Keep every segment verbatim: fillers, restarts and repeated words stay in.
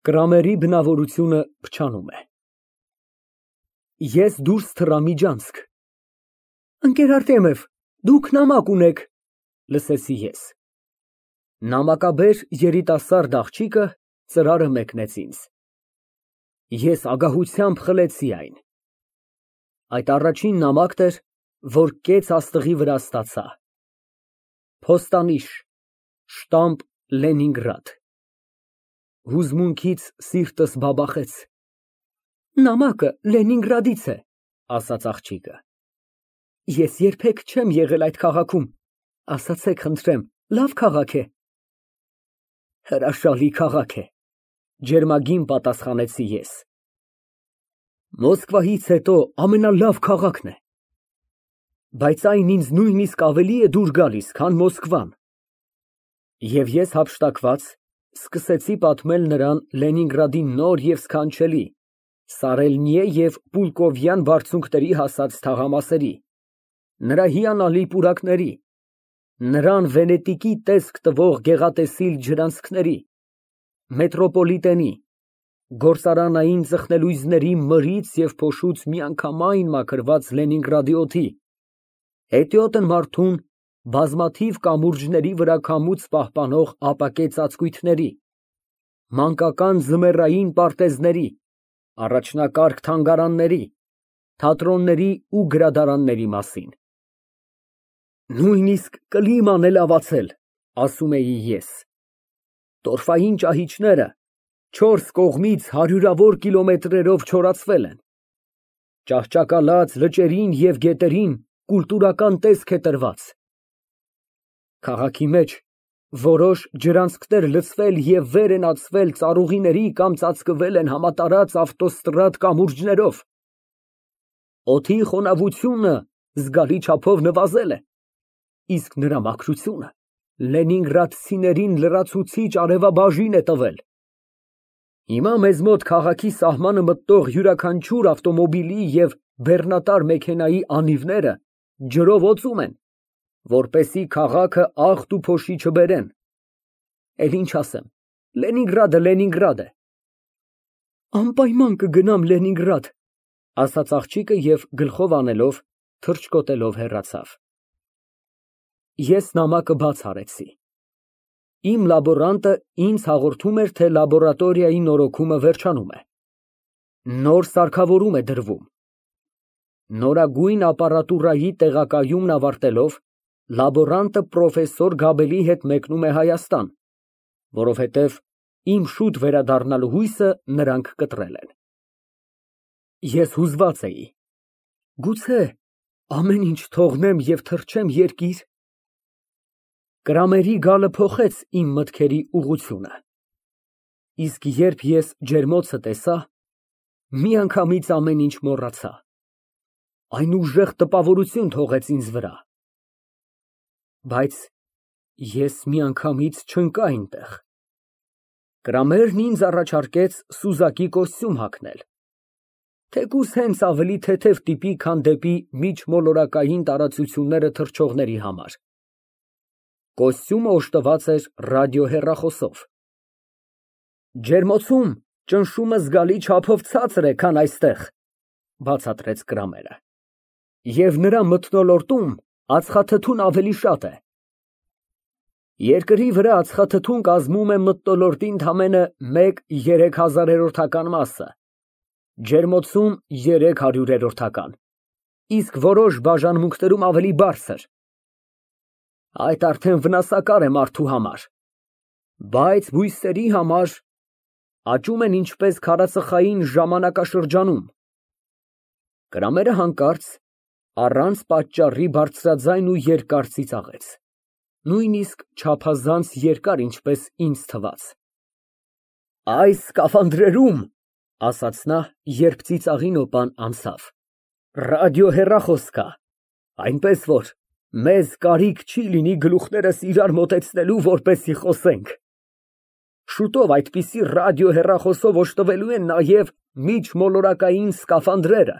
Կրամերի բնավորությունը փչանում է։ Ես դուրս թռա միջանցք։ Ընկեր Արտեմև, դուք նամակ ունեք, լսեցի ես։ Նամակաբեր երիտասարդ աղջիկը ծրարը մեկնեց ինձ։ Ես ագահությամբ խլեցի այն։ Այդ առաջին նամակն էր, որ կեց աստղի վրա ստացա։ Փոստանիշ, շտամբ Լենինգրադ։ Հուզմունքից սիրտս բաբախեց։ Նամակը Լենինգրադից է, ասաց աղջիկը։ Ես երբեք չեմ եղել այդ քաղաքում, ասացեք խնդրեմ, լավ քաղաք է։ Հրաշալի քաղաք է, ջերմագին պատասխանեցի ես։ Մոսկվայից հետո ամենալավ քաղաքն է։ Բայց այն ինձ նույնիսկ ավելի է դուր գալիս, քան Մոսկվան։ Եվ ես հափշտակված սկսեցի պատմել նրան Լենինգրադի նոր և սքանչելի, սարելնիե և պուլկովյան բարձունքների հասած թաղամասերի, նրա հիանալի պուրակների, նրան Վենետիկի տեսք տվող գեղատեսիլ ջրանցքների, մետրոպոլիտենի, գործարանային ծխնելույզների մրից և փոշուց միանգամայն մաքրված Լենինգրադի օդի, հետիոտն մարդուն բազմաթիվ կամուրջների վրա քամուց պահպանող ապակե ծածկույթների, մանկական ձմեռային պարտեզների, առաջնակարգ թանգարանների, թատրոնների ու գրադարանների մասին։ Նույնիսկ կլիման է լավացել, ասում էի ես։ Տորֆային ճահիճները չորս կողմից հարյուրավոր կիլոմետրերով չորացվել են։ Ճահճակալած լճերին և գետերին կուլտուրական տեսք է տրված։ Քաղաքի մեջ որոշ ջրանցքներ լցվել և վեր են ածվել ծառուղիների կամ ծածկվել են համատարած ավտոստրադ կամուրջներով։ Օդի խոնավությունը զգալի չափով նվազել է, իսկ նրա մաքրությունը լենինգրադցիներին լրացուցիչ արևաբաժին է տվել։ Հիմա մեզ մոտ քաղաքի սահմանը մտնող յուրաքանչյուր ավտոմոբիլի և բեռնատար մեքենայի անիվները ջրով օծում են, որպեսզի քաղաքը աղտ ու փոշի չբերեն։ Էլ ինչ ասեմ, Լենինգրադը Լենինգրադ է։ Անպայման կգնամ Լենինգրադ, ասաց աղջիկը և գլխով անելով, թռչկոտելով հեռացավ։ Ես նամակը բաց արեցի։ Իմ լաբորանտը ինձ հաղորդում էր, թե լաբորատորիայի նորոգումը վերջանում է։ Նոր սարքավորում է դրվում։ Նորագույն ապարատուրայի տեղակայումն ավարտելով, լաբորանտը պրոֆեսոր Գաբելի հետ մեկնում է Հայաստան, որովհետև իմ շուտ վերադառնալու հույսը նրանք կտրել են։ Ես հուզված էի։ Գուցե ամեն ինչ թողնեմ և թռչեմ երկիր։ Կրամերի գալը փոխեց իմ մտքերի ուղղությունը։ Իսկ երբ ես ջերմոցը տեսա, միանգամից ամեն ինչ մոռացա։ Այն ուժեղ տպավորություն թողեց ինձ վրա։ Բայց ես միանգամից չընկա այնտեղ։ Կրամերն ինձ առաջարկեց սուզակի կոստյում հագնել, թեկուզ հենց ավելի թեթև տիպի, քան դեպի միջմոլորակային տարածությունները թռչողների համար։ Կոստյումը օժտված էր ռադիոհեռախոսով։ Ջերմոցում ճնշումը զգալի չափով ցածր է, քան այստեղ, բացատրեց Կրամերը, և նրա մթնոլորտում ածխաթթուն ավելի շատ է։ Երկրի վրա ածխաթթուն կազմում է մթնոլորտի ընդամենը մեկ երեքհազարերորդական մասը, ջերմոցում երեք հարյուրերորդական, իսկ որոշ բաժանմունքներում ավելի բարձր։ Այդ արդեն վնասակար է մարդու համար, բայց բույսերի համար աճում են ինչպես քարածխային ժամանակաշրջանում։ Կրամերը հանկարծ առանց պատճառի բարձրաձայն ու երկար ծիծաղեց, նույնիսկ չափազանց երկար, ինչպես ինձ թվաց։ Այս սկաֆանդրերում, ասաց նա, երբ ծիծաղի նոպան անցավ, ռադիոհեռախոս կա, այնպես որ մեզ կարիք չի լինի գլուխներս իրար մոտեցնելու, որպեսզի խոսենք։ Շուտով այդպիսի ռադիոհեռախոսով օժտվելու են նաև միջմոլորակային սկաֆանդրերը։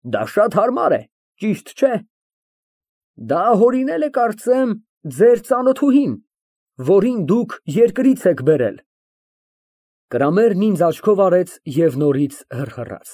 Դա շատ հարմար է, ճիշտ չէ։ Դա հորինել է, կարծեմ, ձեր ծանոթուհին, որին դուք երկրից եք բերել։ Կրամերն ինձ աչքով արեց և նորից հռհռաց։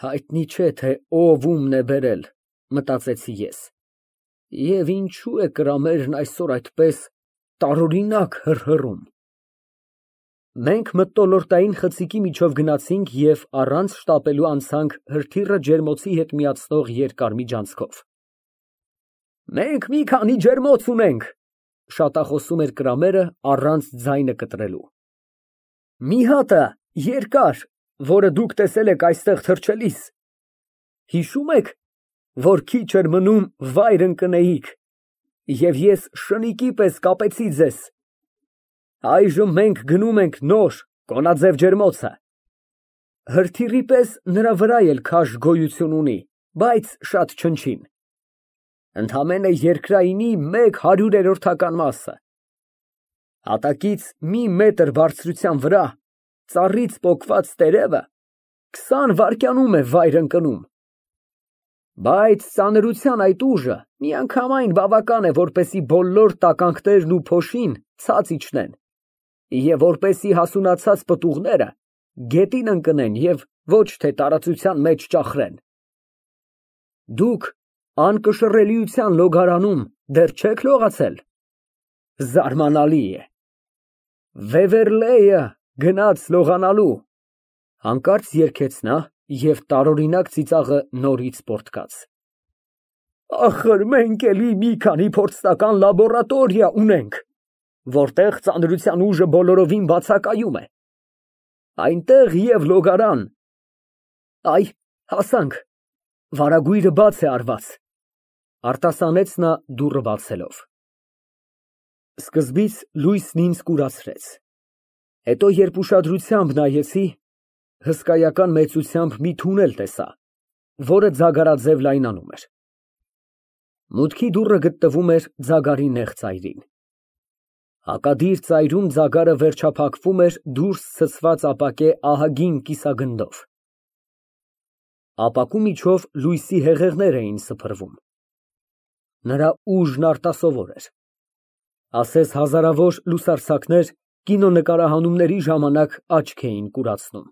Հայտնի չէ, թե ով ումն է բերել, մտածեցի ես, և ինչու է Կրամերն այսօր այդպես տարօրինակ հռհռում։ Մենք մթնոլորտային խցիկի միջով գնացինք և առանց շտապելու անցանք հրթիռը ջերմոցի հետ միացնող երկար միջանցքով։ Մենք մի քանի ջերմոց ունենք, շատախոսում էր Կրամերը առանց ձայնը կտրելու։ Մի հատը երկար, որը դուք տեսել եք այստեղ թռչելիս։ Հիշո՞ւմ եք, որ քիչ էր մնում վայր ընկնեիք, և ես շնիկի պես կապեցի ձեզ։ Այժմ մենք գնում ենք նոր, կոնաձև ջերմոցը։ Հրթիռի պես նրա վրա էլ քաշ գոյություն ունի, բայց շատ չնչին։ Ընդամենը երկրայինի մեկ հարյուրերորդական մասը։ Հատակից մի մետր բարձրության վրա ծառից պոկված տերևը քսան վայրկյանում է վայր ընկնում։ Բայց ծանրության այդ ուժը միանգամայն բավական է, որպեսզի բոլոր տականքներն ու փոշին ցած իջնեն, և որպեսզի հասունացած պտուղները գետին ընկնեն և ոչ թե տարածության մեջ ճախրեն։ Դուք անկշռելիության լոգարանում դեռ չեք լողացել։ Զարմանալի է։ Վեվերլեյը գնաց լողանալու, հանկարծ երգեց նա և տարօրինակ ծիծաղը նորից պոռթկաց։ Ախր մենք էլի մի քանի փորձնական լաբորատորիա ունենք, որտեղ ծանրության ուժը բոլորովին բացակայում է։ Այնտեղ և լոգարան։ Այ, հասանք, վարագույրը բաց է արված, արտասանեց նա դուռը բացելով։ Սկզբից լույսն ինձ կուրացրեց, հետո երբ ուշադրությամբ նայեցի, հսկայական մեծությամբ մի թունել տեսա, որը ձագարաձև լայնանում էր։ Մուտքի դուռը գտնվում էր ձագարի նեղ ծայրին։ Հակադիր ծայրում ձագարը վերջափակվում էր դուրս ցցված ապակե ահագին կիսագնդով։ Ապակու միջով լույսի հեղեղներ էին սփռվում։ Նրա ուժն արտասովոր էր։ Ասես հազարավոր լուսարձակներ կինոնկարահանումների ժամանակ աչք էին կուրացնում։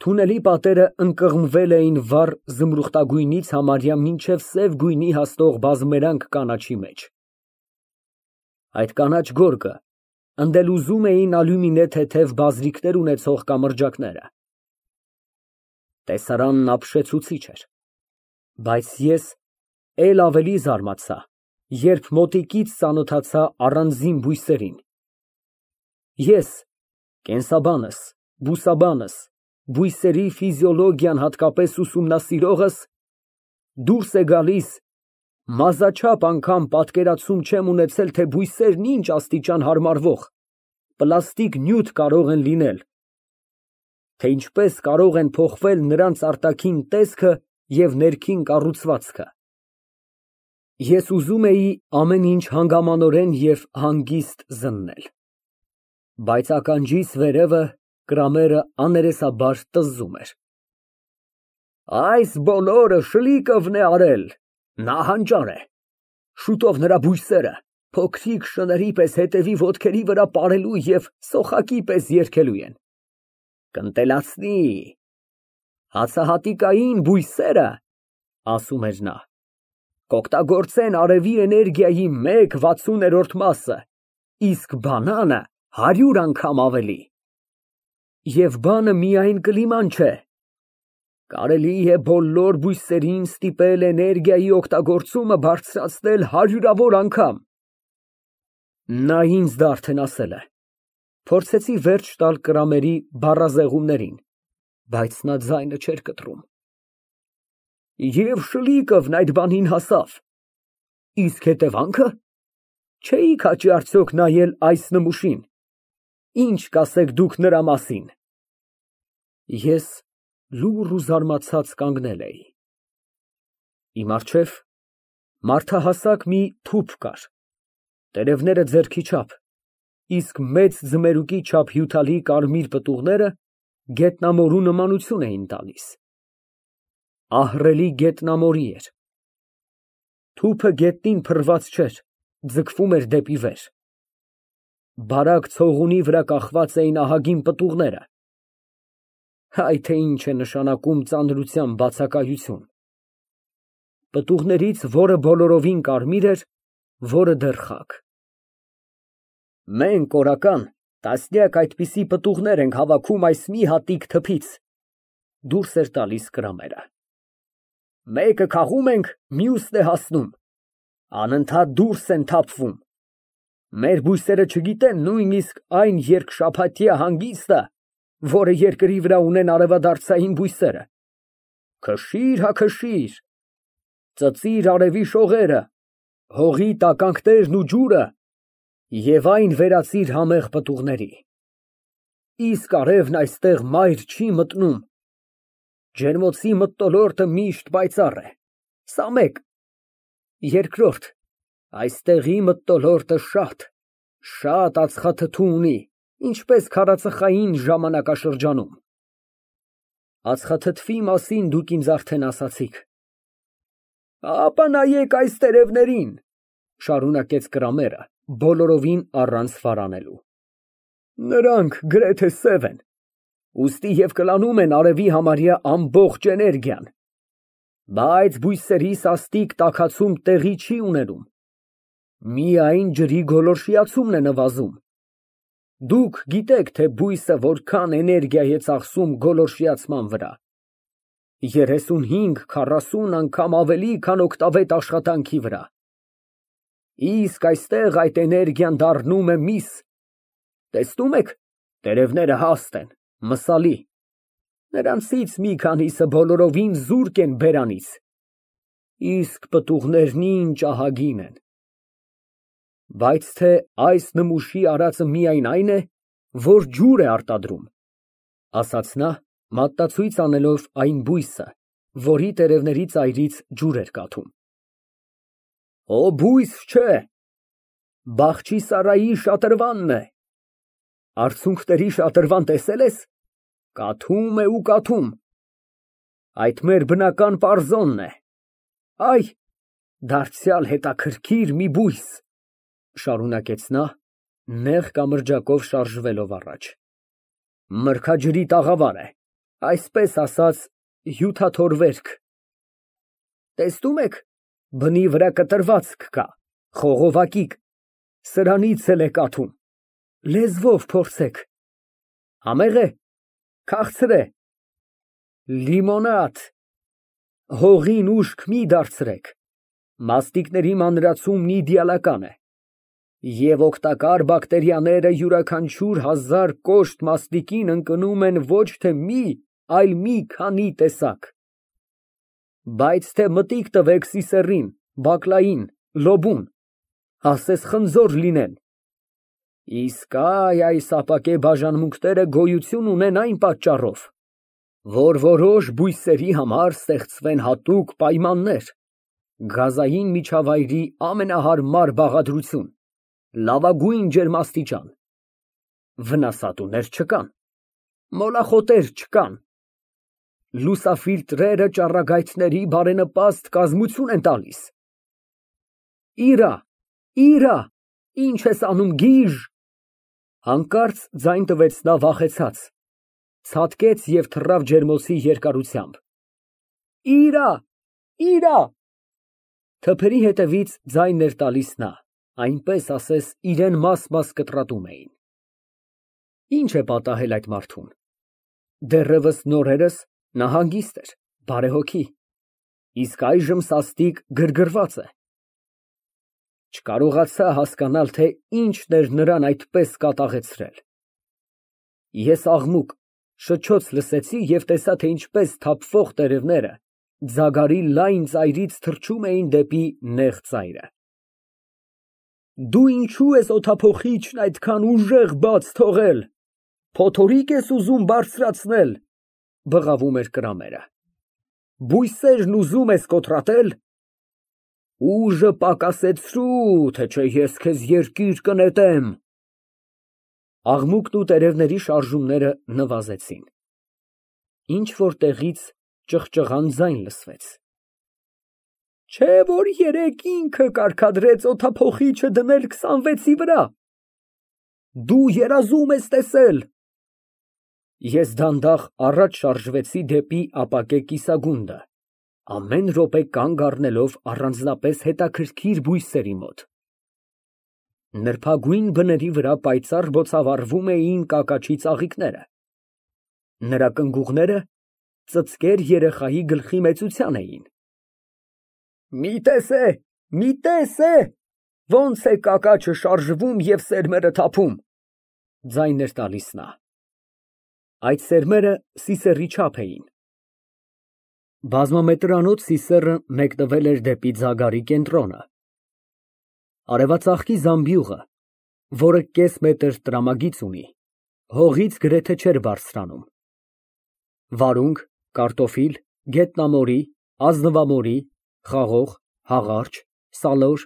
Թունելի պատերը ընկղմվել էին վառ զմրուխտագույնից համարյա մինչև սև գույնի հասնող բազմերանգ կանաչի մեջ։ Այդ կանաչ գորգը ընդ էլ ուզում էին ալյումինե թեթև բազրիքներ ունեցող կամրջակները։ Տեսարանն ապշեցուցիչ էր, բայց ես էլ ավելի զարմացա, երբ մոտիկից ծանոթացա առանձին բույսերին։ Ես, կենսաբանս, բուսաբանս, բույսերի ֆիզիոլոգիան հատկապես ուսումնասիրողս, դուրս է գալիս, մազաչափ անգամ պատկերացում չեմ ունեցել, թե բույսերն ինչ աստիճան հարմարվող, պլաստիկ նյութ կարող են լինել, թե ինչպես կարող են փոխվել նրանց արտաքին տեսքը և ներքին կառուցվածքը։ Ես ուզում էի ամեն ինչ հանգամանորեն և հանգիստ զննել, բայց ականջիս վերևը Կրամերը աներեսաբար տզզում էր։ Այս բոլորը Շլիկովն է արել, նա հանճար է, շուտով նրա բույսերը փոքրիկ շների պես հետևի ոտքերի վրա պարելու և սոխակի պես երգելու են։ Կընտելացնի, հացահատիկային բույսերը, ասում էր նա, կօգտագործեն արևի էներգիայի մեկ վաթսուներորդ մասը, իսկ բանանը հարյուր անգամ ավելի։ Եվ բանը միայն կլիման չէ, կարելի է բոլոր բույսերին ստիպել էներգիայի օգտագործումը բարձրացնել հարյուրավոր անգամ։ Նա ինձ դա արդեն ասել է։ Փորձեցի վերջ տալ Կրամերի բառազեղումներին, բայց նա ձայնը չէր կտրում։ Եվ Շլիկովն այդ բանին հասավ։ Իսկ հետևանքը։ Չէիք հաճի արդյոք նայել այս նմուշին։ Ինչ կասեք դուք նրա մասին։ Ես լուռ ու զարմացած կանգնել էի։ Իմ առջև մարդահասակ մի թուփ կար, տերևները ձեռքի չափ, իսկ մեծ ձմերուկի չափ հյութալի կարմիր պտուղները գետնամորու նմանություն էին տալիս։ Ահռելի գետնամորի էր։ Թուփը գետնին փռված չէր, ձգվում էր դեպի վեր։ Բարակ ցողունի վրա կախված էին ահագին պտուղները։ Հայ թե ինչ է նշանակում ծանրության բացակայություն։ Պտուղներից որը բոլորովին կարմիր էր, որը դեռ խաք։ Մենք օրական տասնյակ այդպիսի պտուղներ ենք հավաքում այս մի հատիկ թփից, դուրս էր տալիս կրամերը։ Մեկը քաղում ենք, մյուսն է հասնում, անընդհատ դուրս են թափվում։ Մեր բույսերը չգիտեն նույնիսկ այն երկշաբաթյա հանգիստը, որը երկրի վրա ունեն արևադարձային բույսերը։ Քշիր, հա քշիր, ծծիր արևի շողերը, հողի տականքներն ու ջուրը և այն վերածիր համեղ պտուղների։ Իսկ արևն այստեղ մայր չի մտնում։ Ջերմոցի մթնոլորտը միշտ պայծառ է։ Սա մեկ։ Երկրորդ, այստեղի մթնոլորտը շատ, շատ ածխաթթու ունի, ինչպես քարածխային ժամանակաշրջանում։ Ածխաթթվի մասին դուք ինձ արդեն ասացիք։ Ապա նայեք այս տերևներին, շարունակեց Կրամերը, բոլորովին առանց վարանելու։ Նրանք գրեթե սև են, ուստի և կլանում են արևի համարյա ամբողջ էներգիան, բայց բույսերի սաստիկ տաքացում տեղի չի ունենում, միայն ջրի գոլորշիացումն է նվազում։ Դուք գիտեք, թե բույսը որքան էներգիա է ծախսում գոլորշիացման վրա, երեսունհինգ քառասուն անգամ ավելի, քան օգտավետ աշխատանքի վրա։ Իսկ այստեղ այդ էներգիան դառնում է միս։ Տեսնում եք, տերևները հաստ են, մսալի, նրանցից մի քանիսը բոլորովին զուրկ են բերանից, իսկ պտուղներն ինչ ահագին են։ Բայց թե այս նմուշի արածը միայն այն է, որ ջուր է արտադրում, ասաց նա, մատնացույց անելով այն բույսը, որի տերևների ծայրից ջուր էր կաթում։ Օ, բույս չէ, Բախչիսարայի շատրվանն է։ Արցունքների շատրվան տեսել ես, կաթում է ու կաթում, այդ մեր բնական պարզոնն է, այ, դարձյալ հետաքրքիր մի բույս, շարունակեց նա, նեղ կամրջակով շարժվելով առաջ, մրգաջրի տաղավար է, այսպես ասած, հյութաթորվերք։ Տեսնում եք, բնի վրա կտրվածք կա, խողովակիկ, սրանից էլ է կաթում, լեզվով փորձեք, համեղ է, քաղցր է, լիմոնադ, հողին ուշք մի դարձրեք, մաստիկների մանրացումն իդեալական է, և օգտակար բակտերիաները յուրաքանչյուր հազար կոշտ մաստիկին ընկնում են ոչ թե մի, այլ մի քանի տեսակ։ Բայց թե մտիկ տվեք սիսեռին, բակլային, լոբուն, ասես խնձոր լինեն։ Իսկ այ այս ապակե բաժանմունքները գոյություն ունեն այն պատճառով, որ որոշ բույսերի համար ստեղծվեն հատուկ պայմաններ, գազային միջավայրի ամենահարմար բաղադրություն, լավագույն ջերմաստիճան, վնասատուներ չկան, մոլախոտեր չկան, լուսաֆիլտրերը ճառագայթների բարենպաստ կազմություն են տալիս։ Իրա, իրա, ինչ ես անում, գիժ, հանկարծ ձայն տվեց նա վախեցած, ցատկեց և թռավ ջերմոցի երկարությամբ։ Իրա, իրա, թփերի հետևից ձայն էր տալիս նա, այնպես ասես իրեն մաս-մաս կտրատում էին։ Ինչ է պատահել այդ մարդուն։ Դեռևս նորերս նա հանգիստ էր, բարեհոգի, իսկ այժմ սաստիկ գրգռված է։ Չկարողացա հասկանալ, թե ինչն էր նրան այդպես կատաղեցրել։ Ես աղմուկ, շչոց լսեցի և տեսա, թե ինչպես թափվող տերևները ձագարի լայն ծայրից թռչում էին դեպի նեղ ծայրը։ Դու ինչո՞ւ ես օդափոխիչն այդքան ուժեղ բաց թողել, փոթորիկ ես ուզում բարձրացնել, բղավում էր Կրամերը, բույսերն ուզում ես կոտրատել, ուժը պակասեցրու, թե չէ ես քեզ երկիր կնետեմ։ Աղմուկն ու տերևների շարժումները նվազեցին, ինչ-որ տեղից ճղճղան ձայն լսվեց։ Չէ՞ որ երեկ ինքը կարգադրեց օդափոխիչը դնել քսանվեցի վրա։ Դու երազում ես տեսել։ Ես դանդաղ առաջ շարժվեցի դեպի ապակե կիսագունդը, ամեն րոպե կանգ առնելով առանձնապես հետաքրքիր բույսերի մոտ։ Նրբագույն բների վրա պայծառ բոցավառվում էին կակաչի ծաղիկները, նրա կնգուղները ծծկեր երեխայի գլխի մեծության էին։ Մի տես է, մի տես է, ոնց է կակաչը շարժվում և սերմերը թափում, ձայն էր տալիս նա։ Այդ սերմերը սիսեռի չափ էին։ Բազմամետրանոց սիսեռը մեկնվել էր դեպի ձագարի կենտրոնը։ Արևածաղկի զամբյուղը, որը կես մետր տրամագիծ ունի, հողից գրեթե չէր բարձրանում։ Վարունգ, կարտոֆիլ, գետնամորի, ազնվամորի, խաղող, հաղարջ, սալոր,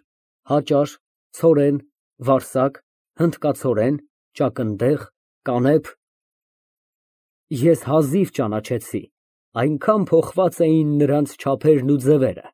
հաճար, ցորեն, վարսակ, հնդկացորեն, ճակնդեղ, կանեփ։ Ես հազիվ ճանաչեցի, այնքան փոխված էին նրանց չափերն ու ձևերը։